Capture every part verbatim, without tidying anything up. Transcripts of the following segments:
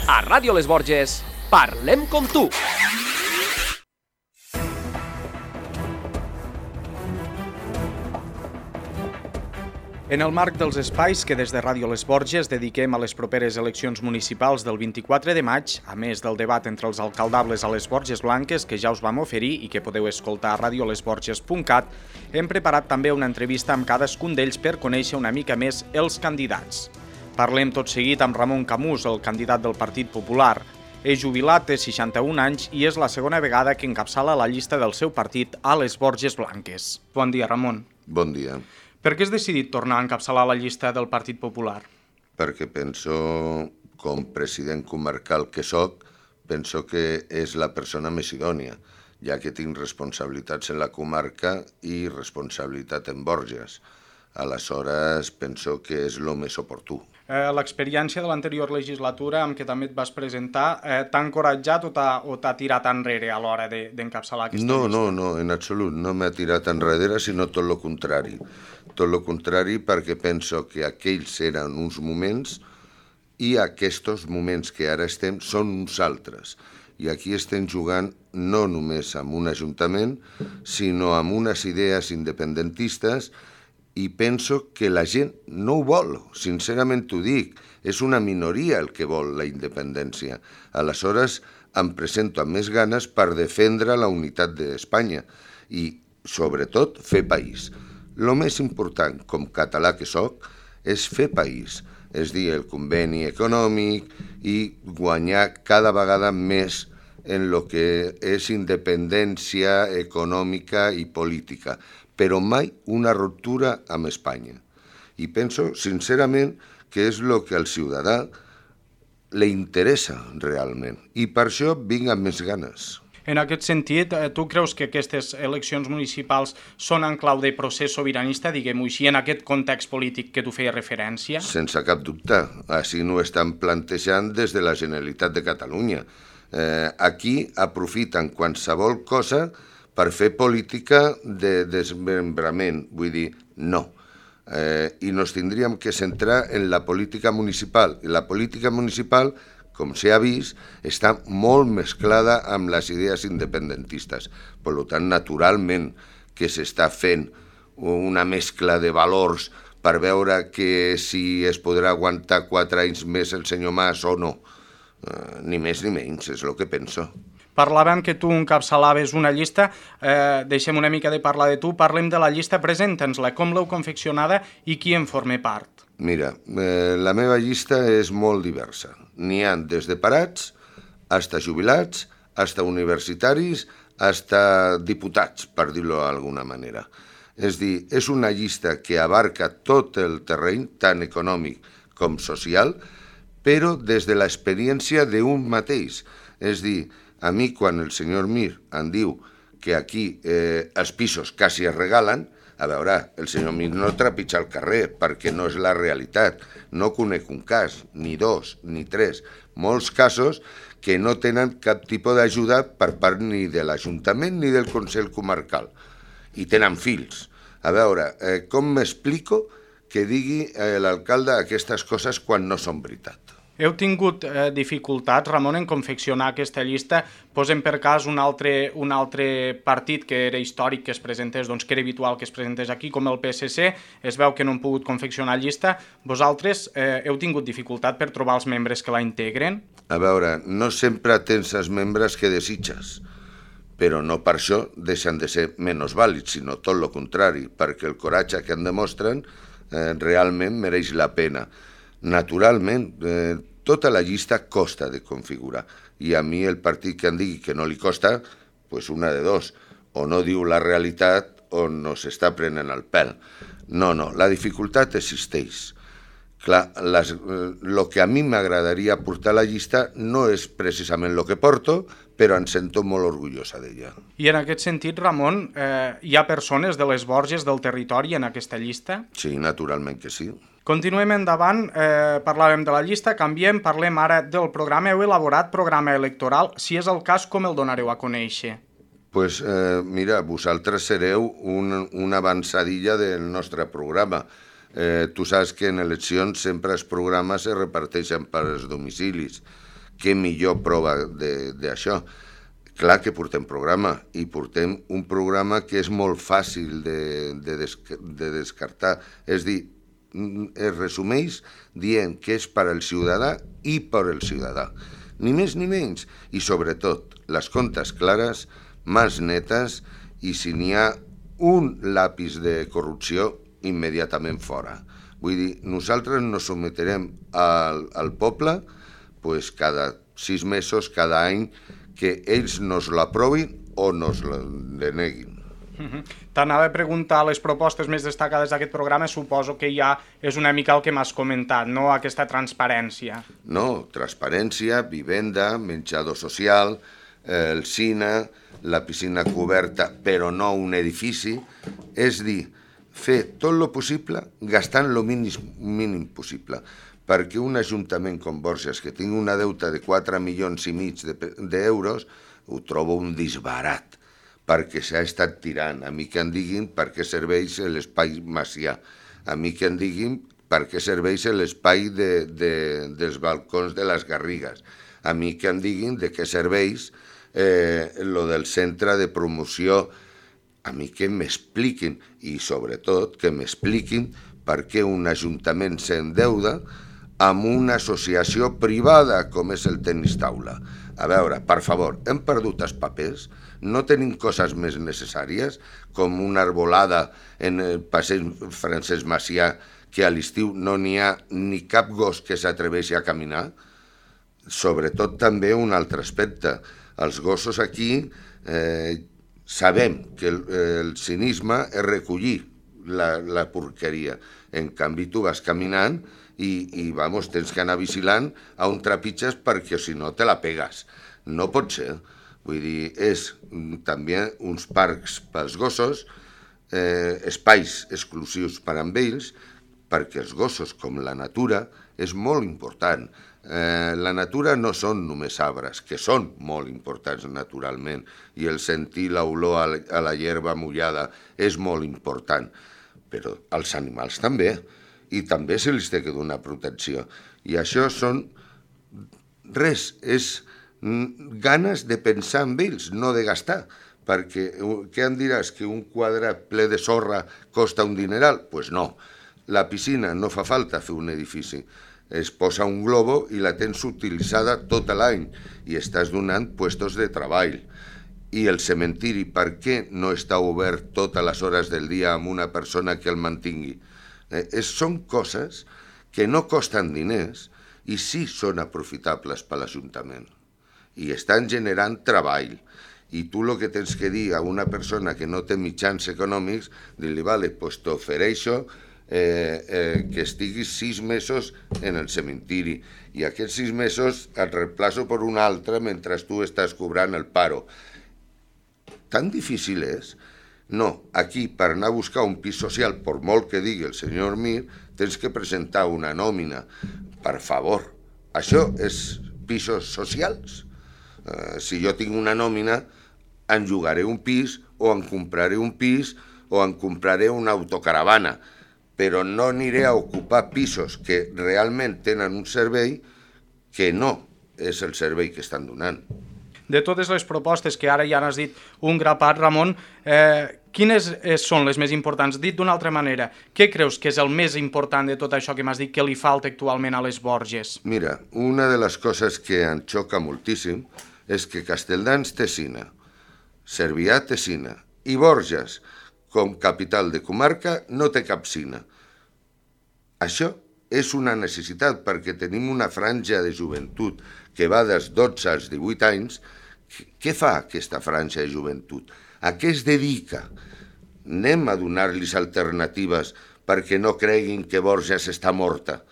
A Ràdio Les Borges, parlem com tu. En el marc dels espais que des de Ràdio Les Borges dediquem a les properes eleccions municipals del vint-i-quatre de maig, a més del debat entre els alcaldables a les Borges Blanques que ja us vam oferir i que podeu escoltar a radio les borges punt cat, hem preparat també una entrevista amb cadascun d'ells per conèixer una mica més els candidats. Parlem tot seguit amb Ramon Camús, el candidat del Partit Popular. És jubilat, té seixanta-un anys i és la segona vegada que encapçala la llista del seu partit a les Borges Blanques. Bon dia, Ramon. Bon dia. Per què has decidit tornar a encapçalar la llista del Partit Popular? Perquè penso, com president comarcal que soc, penso que és la persona més idònia, ja que tinc responsabilitats en la comarca i responsabilitat en Borges. Aleshores, penso que és el més oportú. Eh, L'experiència de l'anterior legislatura amb què també et vas presentar eh, t'ha encoratjat o t'ha tirat enrere a l'hora d'encapçalar aquesta no, llista? No, no, en absolut. No m'ha tirat enrere, sinó tot el contrari. Tot el contrari perquè penso que aquells eren uns moments i aquests moments que ara estem són uns altres. I aquí estem jugant no només amb un ajuntament, sinó amb unes idees independentistes i penso que la gent no ho vol, sincerament t'ho dic, és una minoria el que vol la independència. Aleshores em presento amb més ganes per defendre la unitat d'Espanya i, sobretot, fer país. El més important, com català que soc, és fer país, és dir, el conveni econòmic i guanyar cada vegada més en el que és independència econòmica i política, però mai una ruptura amb Espanya. I penso, sincerament, que és el que al ciutadà li interessa realment. I per això vinc amb més ganes. En aquest sentit, tu creus que aquestes eleccions municipals són en clau de procés sobiranista, diguem-ho així, en aquest context polític que tu feies referència? Sense cap dubte. Així no ho estan plantejant des de la Generalitat de Catalunya. Eh, aquí aprofiten qualsevol cosa per fer política de desmembrament, vull dir, no. Eh, I nos tindríem que centrar en la política municipal. I la política municipal, com s'ha vist, està molt mesclada amb les idees independentistes. Per tant, naturalment que s'està fent una mescla de valors per veure que si es podrà aguantar quatre anys més el senyor Mas o no. Eh, ni més ni menys, és el que penso. Parlàvem que tu encapçalaves una llista, eh, deixem una mica de parlar de tu, parlem de la llista, presenta'ns-la, com l'heu confeccionada i qui en forma part? Mira, eh, la meva llista és molt diversa. N'hi ha des de parats, fins jubilats, fins universitaris, fins diputats, per dir-ho d'alguna manera. És dir, és una llista que abarca tot el terreny, tant econòmic com social, però des de l'experiència d'un mateix. És dir, a mi, quan el senyor Mir em diu que aquí eh, els pisos quasi es regalen, a veure, el senyor Mir no trepitja al carrer perquè no és la realitat. No conec un cas, ni dos, ni tres. Molts casos que no tenen cap tipus d'ajuda per part ni de l'Ajuntament ni del Consell Comarcal. I tenen fills. A veure, eh, com m'explico que digui eh, l'alcalde aquestes coses quan no són veritat? Heu tingut eh, dificultats, Ramon, en confeccionar aquesta llista? Posem per cas un altre, un altre partit que era històric que es presentés, doncs que era habitual que es presentés aquí, com el P S C, es veu que no han pogut confeccionar llista. Vosaltres eh, heu tingut dificultat per trobar els membres que la integren? A veure, no sempre tens els membres que desitges, però no per això deixen de ser menys vàlids, sinó tot el contrari, perquè el coratge que en demostren eh, realment mereix la pena. Naturalment, eh, tota la llista costa de configurar i a mi el partit que em digui que no li costa, pues una de dos, o no diu la realitat o no s'està prenent el pèl. No, no, la dificultat existeix. Clar, el que a mi m'agradaria portar a la llista no és precisament el que porto, però em sento molt orgullosa d'ella. I en aquest sentit, Ramon, eh, hi ha persones de les Borges del territori en aquesta llista? Sí, naturalment que sí. Continuem endavant, eh, parlàvem de la llista, canviem, parlem ara del programa. Heu elaborat programa electoral, si és el cas, com el donareu a conèixer? Pues eh, mira, vosaltres sereu un, una avançadilla del nostre programa. Eh, tu saps que en eleccions sempre els programes es reparteixen per als domicilis. què millor prova d'això? Clar que portem programa, i portem un programa que és molt fàcil de, de, des, de descartar. És dir, es resumeix dient que és per al ciutadà i per al ciutadà. Ni més ni menys. I sobretot, les comptes clares, mans netes, i si n'hi ha un lápiz de corrupció, immediatament fora. Vull dir, nosaltres nos someterem al, al poble pues, cada sis mesos, cada any, que ells nos l'aprovin o nos la deneguin. Uh-huh. T'anava a preguntar les propostes més destacades d'aquest programa, suposo que ja és una mica el que m'has comentat, no? Aquesta transparència. No, transparència, vivenda, menjador social, eh, el cine, la piscina coberta, però no un edifici. És dir, fer tot el possible gastant el mínim, mínim possible. Perquè un ajuntament com Borges, que tingui una deuta de quatre milions i mig d'euros, ho trobo un disbarat, perquè s'ha estat tirant. A mi que em diguin per què serveix l'espai Macià, a mi que em diguin per què serveix l'espai de, de, dels balcons de les Garrigues, a mi que em diguin de què serveix eh, lo del centre de promoció, a mi que m'expliquin, i sobretot que m'expliquin per què un ajuntament s'endeuda amb una associació privada com és el tenis taula. A veure, per favor, hem perdut els papers? No tenim coses més necessàries com una arbolada en el passeig Francesc Macià que a l'estiu no n'hi ha ni cap gos que s'atreveixi a caminar? Sobretot també un altre aspecte. Els gossos aquí eh, sabem que el, el cinisme és recollir la, la porqueria. En canvi, tu vas caminant i, i vamos, tens que anar vigilant a on trepitges perquè si no te la pegues. No pot ser. Vull dir, és també uns parcs pels gossos, eh, espais exclusius per amb ells, perquè els gossos, com la natura, és molt important. Eh, la natura no són només arbres, que són molt importants naturalment, i el sentir l'olor a, a la herba mullada és molt important, però els animals també, i també se li té que donar protecció. I això són res, és ganes de pensar en ells, no de gastar, perquè què em diràs, que un quadrat ple de sorra costa un dineral? Doncs pues no, la piscina no fa falta fer un edifici, es posa un globo i la tens utilitzada tot l'any i estàs donant puestos de treball. I el cementiri, per què no està obert totes les hores del dia amb una persona que el mantingui? Eh, són coses que no costen diners i sí són aprofitables per l'Ajuntament i estan generant treball. I tu el que tens que dir a una persona que no té mitjans econòmics, dir-li, vale, pues t'ofereixo eh, eh, que estiguis sis mesos en el cementiri i aquests sis mesos et reemplaço per un altre mentre tu estàs cobrant el paro. Tan difícil és? No, aquí per anar a buscar un pis social, per molt que digui el senyor Mir, tens que presentar una nòmina. Per favor, això és pisos socials? Uh, si jo tinc una nòmina, en llogaré un pis o en compraré un pis o en compraré una autocaravana, però no aniré a ocupar pisos que realment tenen un servei que no és el servei que estan donant. De totes les propostes que ara ja n'has dit un grapat, Ramon, eh, quines són les més importants? Dit d'una altra manera, què creus que és el més important de tot això que m'has dit que li falta actualment a les Borges? Mira, una de les coses que em xoca moltíssim és que Castelldans té cine, Cervià té cine i Borges, com capital de comarca, no té cap cine. Això és una necessitat perquè tenim una franja de joventut que va dels dotze als divuit anys. Què fa aquesta franja de joventut? A què es dedica? Anem a donar-los alternatives perquè no creguin que Borges està morta.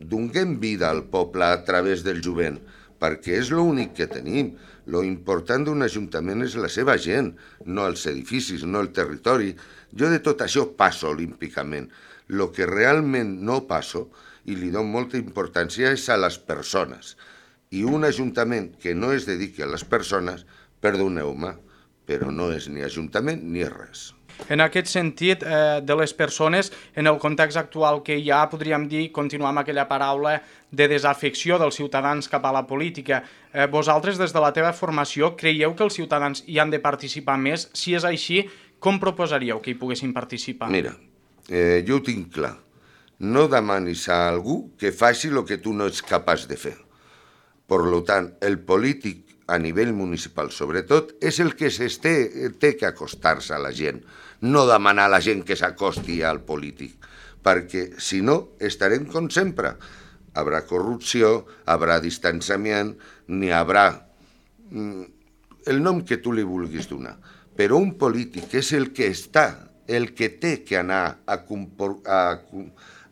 Donem vida al poble a través del jovent, perquè és l'únic que tenim. Lo important d'un ajuntament és la seva gent, no els edificis, no el territori. Jo de tot això passo olímpicament. Lo que realment no passo, i li dono molta importància, és a les persones. I un ajuntament que no es dediqui a les persones, perdoneu-me, però no és ni ajuntament ni res. En aquest sentit, eh, de les persones, en el context actual que hi ha, podríem dir, continuar amb aquella paraula de desafecció dels ciutadans cap a la política. Eh, vosaltres, des de la teva formació, creieu que els ciutadans hi han de participar més? Si és així, com proposaríeu que hi poguessin participar? Mira, eh, jo ho tinc clar. No demanis a algú que faci el que tu no ets capaç de fer. Per tant, el polític a nivell municipal, sobretot, és el que s'esté, té que acostar-se a la gent, no demanar a la gent que s'acosti al polític, perquè, si no, estarem com sempre. Habrà corrupció, habrà distanciament, n'hi haurà el nom que tu li vulguis donar. Però un polític és el que està, el que té que anar a, a,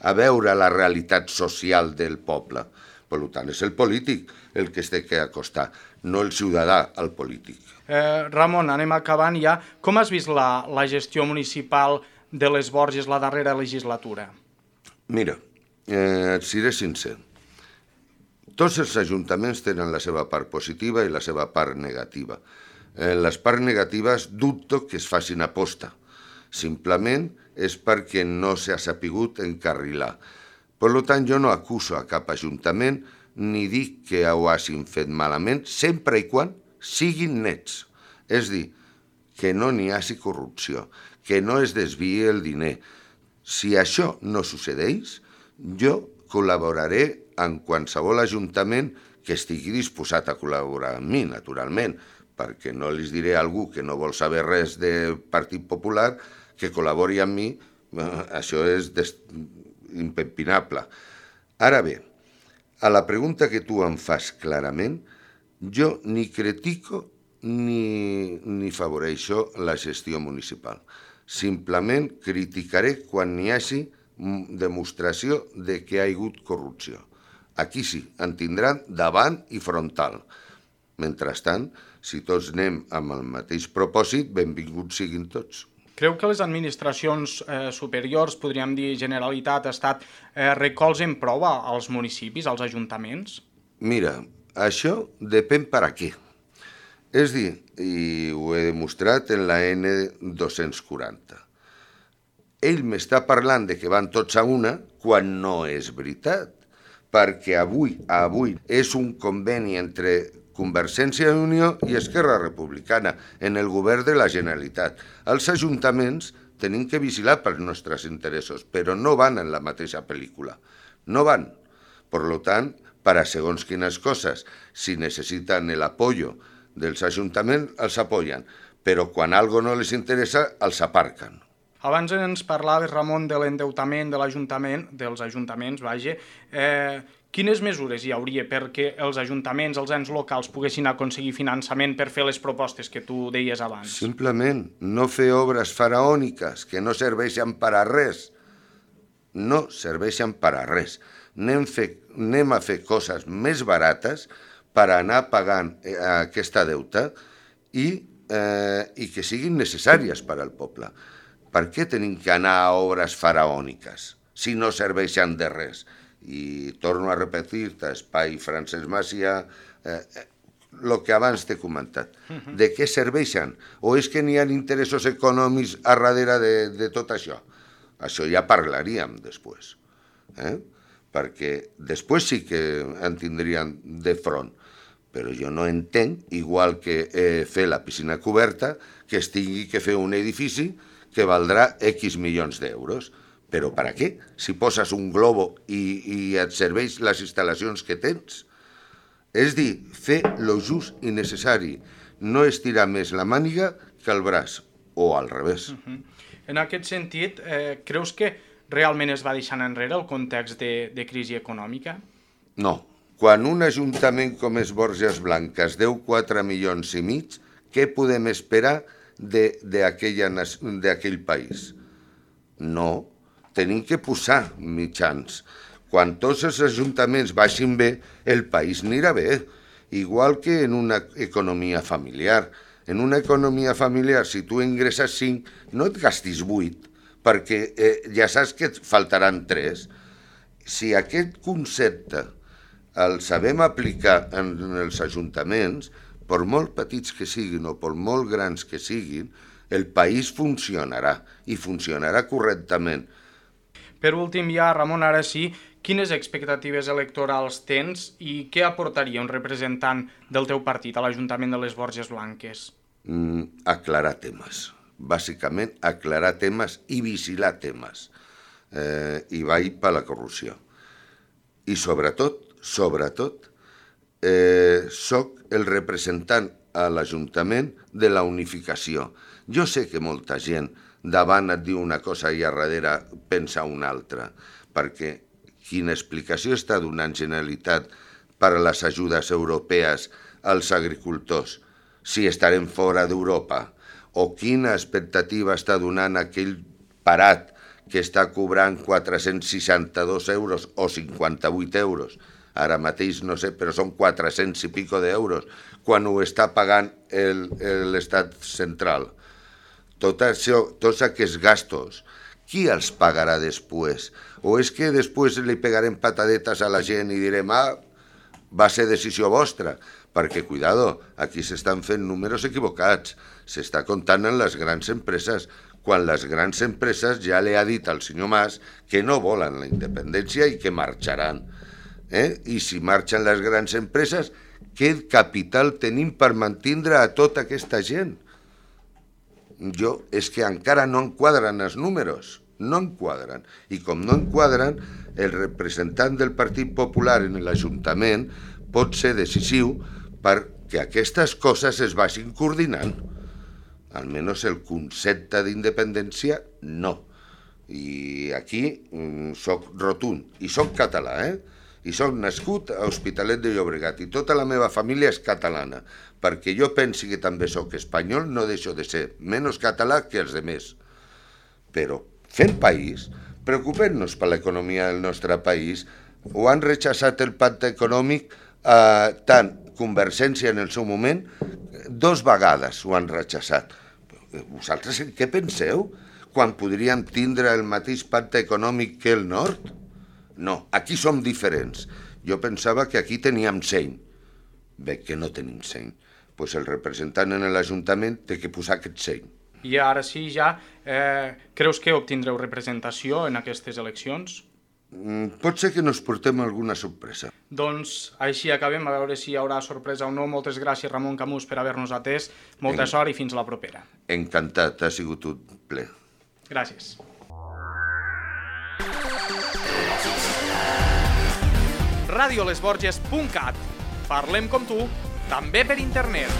a veure la realitat social del poble. Per tant, és el polític el que es té que acostar, no el ciutadà al polític. Eh, Ramon, anem acabant ja. Com has vist la, la gestió municipal de les Borges la darrera legislatura? Mira, eh, et seré sincer. Tots els ajuntaments tenen la seva part positiva i la seva part negativa. En les parts negatives dubto que es facin aposta. Simplement és perquè no s'ha sapigut encarrilar. Per tant, jo no acuso a cap ajuntament ni dic que ho hagin fet malament, sempre i quan siguin nets. És dir, que no n'hi hagi corrupció, que no es desviï el diner. Si això no succeeix, jo col·laboraré en qualsevol ajuntament que estigui disposat a col·laborar amb mi, naturalment, perquè no li diré a algú que no vol saber res del Partit Popular que col·labori amb mi, això és impepinable. Ara bé, a la pregunta que tu em fas clarament, jo ni critico ni, ni favoreixo la gestió municipal. Simplement criticaré quan n'hi hagi demostració de que hi ha hagut corrupció. Aquí sí, en tindran davant i frontal. Mentrestant, si tots anem amb el mateix propòsit, benvinguts siguin tots. Creu que les administracions eh, superiors, podríem dir Generalitat, Estat, eh, recolzen prou als municipis, als ajuntaments? Mira, això depèn per a què. És dir, i ho he demostrat en la ene dos-cents quaranta. Ell m'està parlant de que van tots a una quan no és veritat, perquè avui, avui és un conveni entre Convergència i Unió i Esquerra Republicana en el govern de la Generalitat. Els ajuntaments tenim que vigilar pels nostres interessos, però no van en la mateixa pel·lícula. No van. Per tant, per a segons quines coses, si necessiten l'apoyo dels ajuntaments, els apoyen, però quan algo no les interessa, els aparquen. Abans ens parlaves, Ramon, de l'endeutament de l'Ajuntament, dels ajuntaments, vaja. Eh, quines mesures hi hauria perquè els ajuntaments, els ens locals, poguessin aconseguir finançament per fer les propostes que tu deies abans? Simplement, no fer obres faraòniques que no serveixen per a res. No serveixen per a res. Anem, fe, anem a fer coses més barates per anar pagant eh, aquesta deuta i, eh, i que siguin necessàries per al poble. Per què tenim que anar a obres faraòniques si no serveixen de res? I torno a repetir-te, Espai Francesc Macià, eh, el que abans t'he comentat. De què serveixen? O és que n'hi ha interessos econòmics a darrere de, de tot això? Això ja parlaríem després. Eh? Perquè després sí que en tindrien de front. Però jo no entenc, igual que eh, fer la piscina coberta, que es tingui que fer un edifici que valdrà X milions d'euros. Però per a què? Si poses un globo i, i et serveix les instal·lacions que tens. És dir, fer lo just i necessari. No estirar més la màniga que el braç, o al revés. Uh-huh. En aquest sentit, eh, creus que realment es va deixant enrere el context de, de crisi econòmica? No. Quan un ajuntament com és Borges Blanques deu quatre milions i mig, què podem esperar d'aquell país? No. Tenim que posar mitjans. Quan tots els ajuntaments baixin bé, el país anirà bé. Igual que en una economia familiar. En una economia familiar, si tu ingresses cinc, no et gastis vuit, perquè eh, ja saps que et faltaran tres. Si aquest concepte el sabem aplicar en els ajuntaments, per molt petits que siguin o per molt grans que siguin, el país funcionarà i funcionarà correctament. Per últim, ja, Ramon, ara sí, quines expectatives electorals tens i què aportaria un representant del teu partit a l'Ajuntament de les Borges Blanques? Mm, aclarar temes. Bàsicament, aclarar temes i vigilar temes. Eh, I vaig per la corrupció. I sobretot, sobretot, eh, soc el representant a l'Ajuntament de la unificació. Jo sé que molta gent davant et diu una cosa i a darrere pensa una altra, perquè quina explicació està donant Generalitat per a les ajudes europees als agricultors si estarem fora d'Europa? O quina expectativa està donant aquell parat que està cobrant quatre-cents seixanta-dos euros o cinquanta-vuit euros? Ara mateix no sé, però són quatre-cents i pico d'euros, quan ho està pagant l'Estat central. Tot això, tots aquests gastos, qui els pagarà després? O és que després li pegarem patadetes a la gent i direm, ah, va ser decisió vostra? Perquè, cuidado, aquí s'estan fent números equivocats, s'està comptant en les grans empreses, quan les grans empreses ja li ha dit al senyor Mas que no volen la independència i que marxaran. Eh? I si marxen les grans empreses, què capital tenim per mantindre a tota aquesta gent? Jo, és que encara no enquadren els números, no enquadren. I com no enquadren, el representant del Partit Popular en l'Ajuntament pot ser decisiu perquè aquestes coses es vagin coordinant. Almenys el concepte d'independència, no. I aquí soc rotund, i soc català, eh? I soc nascut a Hospitalet de Llobregat i tota la meva família és catalana, perquè jo pensi que també soc espanyol, no deixo de ser menys català que els demés. Però fent país, preocupem-nos per l'economia del nostre país. Ho han rechaçat el pacte econòmic, eh, tant Convergència en el seu moment, dos vegades ho han rechaçat. Vosaltres en què penseu? Quan podríem tindre el mateix pacte econòmic que el nord? No, aquí som diferents. Jo pensava que aquí teníem seny. Veig que no tenim seny. Doncs el representant en l'Ajuntament té que posar aquest seny. I ara sí, ja, eh, creus que obtindreu representació en aquestes eleccions? Mm, pot ser que nos portem alguna sorpresa. Doncs així acabem, a veure si hi haurà sorpresa o no. Moltes gràcies, Ramon Camús, per haver-nos atès. Molta en... sort i fins la propera. Encantat, ha sigut un ple. Gràcies. radio les borges punt cat. Parlem com tu, també per internet.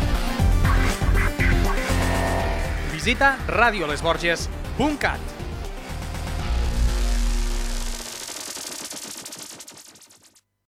Visita radio les borges punt cat.